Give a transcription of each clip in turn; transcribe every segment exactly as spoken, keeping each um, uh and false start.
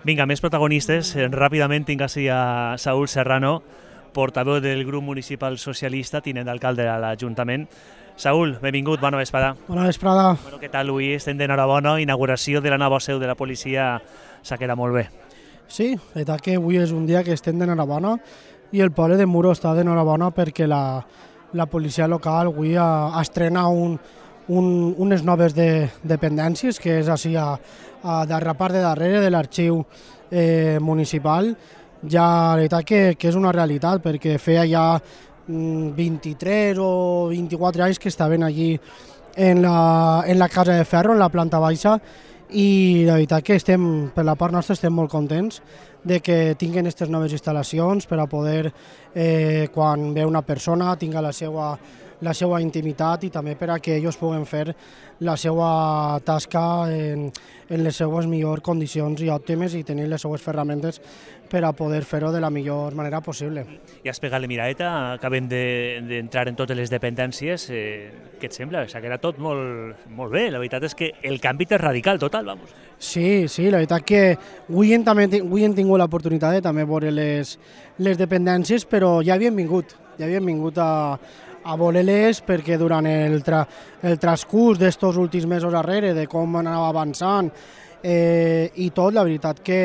Vinga, més protagonistes. Ràpidament tinc així a Saúl Serrano, portaveu del grup municipal socialista, tinent d'alcalde a l'Ajuntament. Saúl, benvingut, bona vesprada. Bona vesprada. Bueno, què tal avui? Estem d'enhorabona, inauguració de la nova seu de la policia s'ha quedat molt bé. Sí, la veritat que avui és un dia que estem d'enhorabona i el poble de Muro està d'enhorabona perquè la, la policia local avui ha, estrena un, un, unes noves de, dependències, que és així a, a de la part de darrere de l'arxiu eh, municipal. Ja la veritat que, que és una realitat, perquè feia ja vint-i-tres o vint-i-quatre anys que estaven allí en la, en la Casa de Ferro, en la planta baixa, i la veritat que estem, per la part nostra estem molt contents de que tinguin aquestes noves instal·lacions per a poder, eh, quan ve una persona, tinga la seva, la seva intimitat i també per a que ells puguen fer la seva tasca en, en les seues millors condicions i òptimes i tenir les seues ferramentes per a poder fer-ho de la millor manera possible. Ja has pegat la miradeta, acabem d'entrar en totes les dependències. Eh, què et sembla? S'ha quedat tot molt, molt bé. La veritat és que el canvi és radical, total, vamos. Sí, sí, la veritat que avui hem, també, avui hem tingut l'oportunitat de també veure les, les dependències, però ja havien vingut, ja havien vingut a, a veure-les perquè durant el, tra, el transcurs d'estos últims mesos darrere, de com anava avançant, Eh, i tot, la veritat que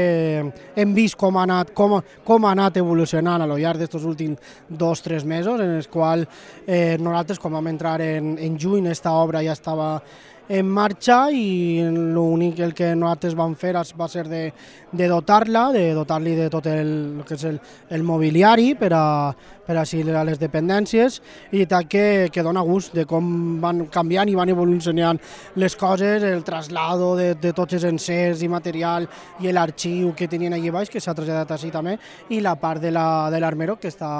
hem vist com ha anat, com, com ha anat evolucionant a lo llarg d'aquests últims dos o tres mesos, en els quals eh, nosaltres, quan vam entrar en, en juny, aquesta obra ja estava en marxa i l'únic el que nosaltres vam fer va ser de, de dotar-la, de dotar-li de tot el, el que és el, el mobiliari per a, per a, a les dependències, i tal que, que dona gust de com van canviant i van evolucionant les coses, el traslado de, de tots els encerts i material i l'arxiu que tenien allà baix, que s'ha traslladat així també, i la part de l'armero la, que està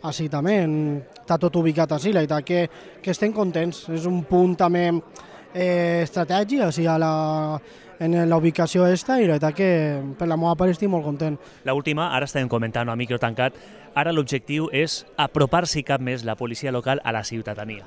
així també, en, està tot ubicat així, la veritat que, que estem contents, és un punt també Eh, estratègia, o sigui, a la, en la ubicació esta, i la veritat que per la meva part estic molt content. L'última, ara estem comentant a micro tancat, ara l'objectiu és apropar-s'hi cap més la policia local a la ciutadania.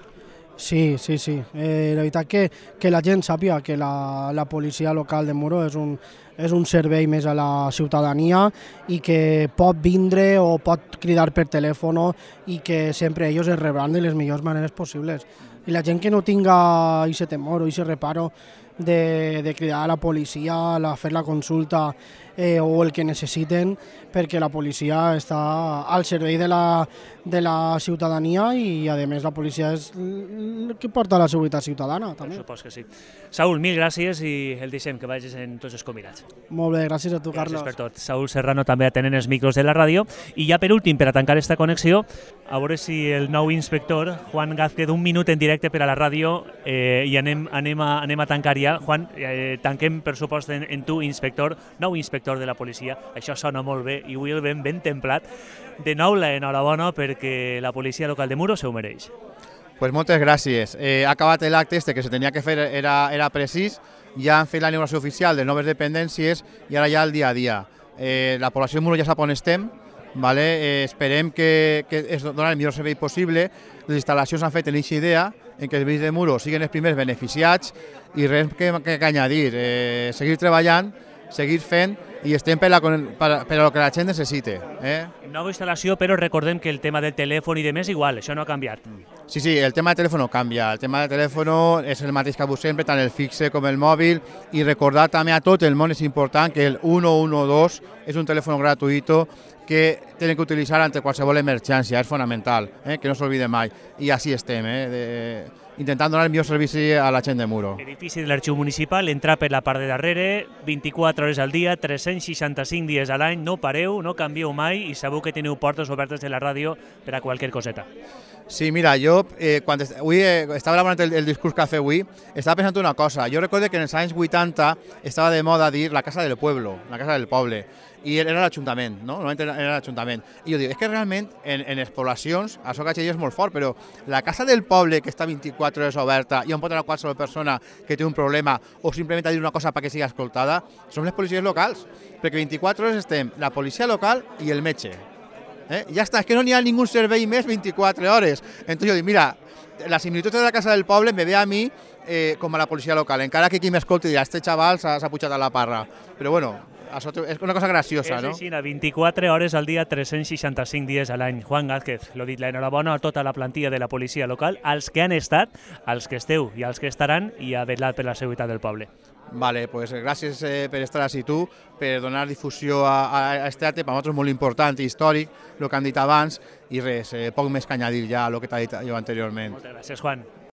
Sí, sí, sí. Eh, la veritat que, que la gent sàpiga que la, la policia local de Muro és un, és un servei més a la ciutadania i que pot vindre o pot cridar per telèfon i que sempre ells es rebran de les millors maneres possibles. I la gent que no tinga aquest temor o aquest reparo de, de cridar a la policia, a fer la consulta eh, o el que necessiten, perquè la policia està al servei de la, de la ciutadania i, a més, la policia és el que porta la seguretat ciutadana. També. Supos que sí. Saúl, mil gràcies i el deixem que vagis en tots els convidats. Molt bé, gràcies a tu, Carlos. Gràcies per tot. Saúl Serrano també atenent els micros de la ràdio. I ja per últim, per a tancar esta connexió, a veure si el nou inspector, Juan Gázquez, un minut en directe per a la ràdio eh, i anem, anem, a, anem a tancar ja. Juan, eh, tanquem per supost en, en tu, inspector, nou inspector de la policia. Això sona molt bé i avui el ben ben templat. De nou, l'enhorabona perquè la policia local de Muro se ho mereix. Pues moltes gràcies. Eh, ha acabat l'acte este que se tenia que fer, era, era precís, ja han fet la inauguració oficial de noves dependències i ara ja el dia a dia. Eh, la població de Muro ja sap on estem, vale? eh, esperem que, que es doni el millor servei possible. Les instal·lacions han fet en aquesta idea en què els veïns de Muro siguin els primers beneficiats i res que, que, que añadir, eh, seguir treballant, seguir fent i estem per, la, per, per a lo que la gent necessite. Eh? Nova instal·lació, però recordem que el tema del telèfon i de més igual, això no ha canviat. Sí, sí, el tema del telèfon canvia. El tema del telèfon és el mateix que avui sempre, tant el fixe com el mòbil, i recordar també a tot el món és important que el u u dos és un telèfon gratuït que tenen que utilitzar ante qualsevol emergència, és fonamental, eh? que no s'oblide mai. I així estem, eh? de... intentant donar el millor servici a la gent de Muro. Edifici de l'arxiu municipal, entrar per la part de darrere, vint-i-quatre hores al dia, tres-cents seixanta-cinc dies a l'any, no pareu, no canvieu mai i sabeu que teniu portes obertes de la ràdio per a qualsevol coseta. Sí, mira, jo, eh, quan est avui, eh, estava elaborant el, el discurs que ha fet avui, estava pensant una cosa. Jo recordo que en els anys vuitanta estava de moda dir la casa del pueblo, la casa del poble, i era l'Ajuntament, no? Normalment era l'Ajuntament. I jo dic, és que realment en, en les poblacions, això que és molt fort, però la casa del poble que està vint-i-quatre hores oberta i on pot anar qualsevol persona que té un problema o simplement a dir una cosa perquè sigui escoltada, són les policies locals, perquè vint-i-quatre hores estem la policia local i el metge. Eh? Ja està, és que no n'hi ha ningú servei més vint-i-quatre hores. Entonces jo dic, mira, la similitud de la casa del poble me ve a mi eh, com a la policia local, encara que qui m'escolti dirà, este xaval s'ha pujat a la parra. Però bueno, això té- és una cosa graciosa, És no? així, a vint-i-quatre hores al dia, tres cents seixanta-cinc dies a l'any. Juan Gázquez, l'ho dit, l'enhorabona a tota la plantilla de la policia local, als que han estat, als que esteu i als que estaran, i a vetllar per la seguretat del poble. Vale, pues gràcies eh, per estar així tu, per donar difusió a, a, a este acte, per nosaltres molt important i històric, el que han dit abans, i res, eh, poc més que añadir ja a el que t'ha dit jo anteriorment. Moltes gràcies, Juan.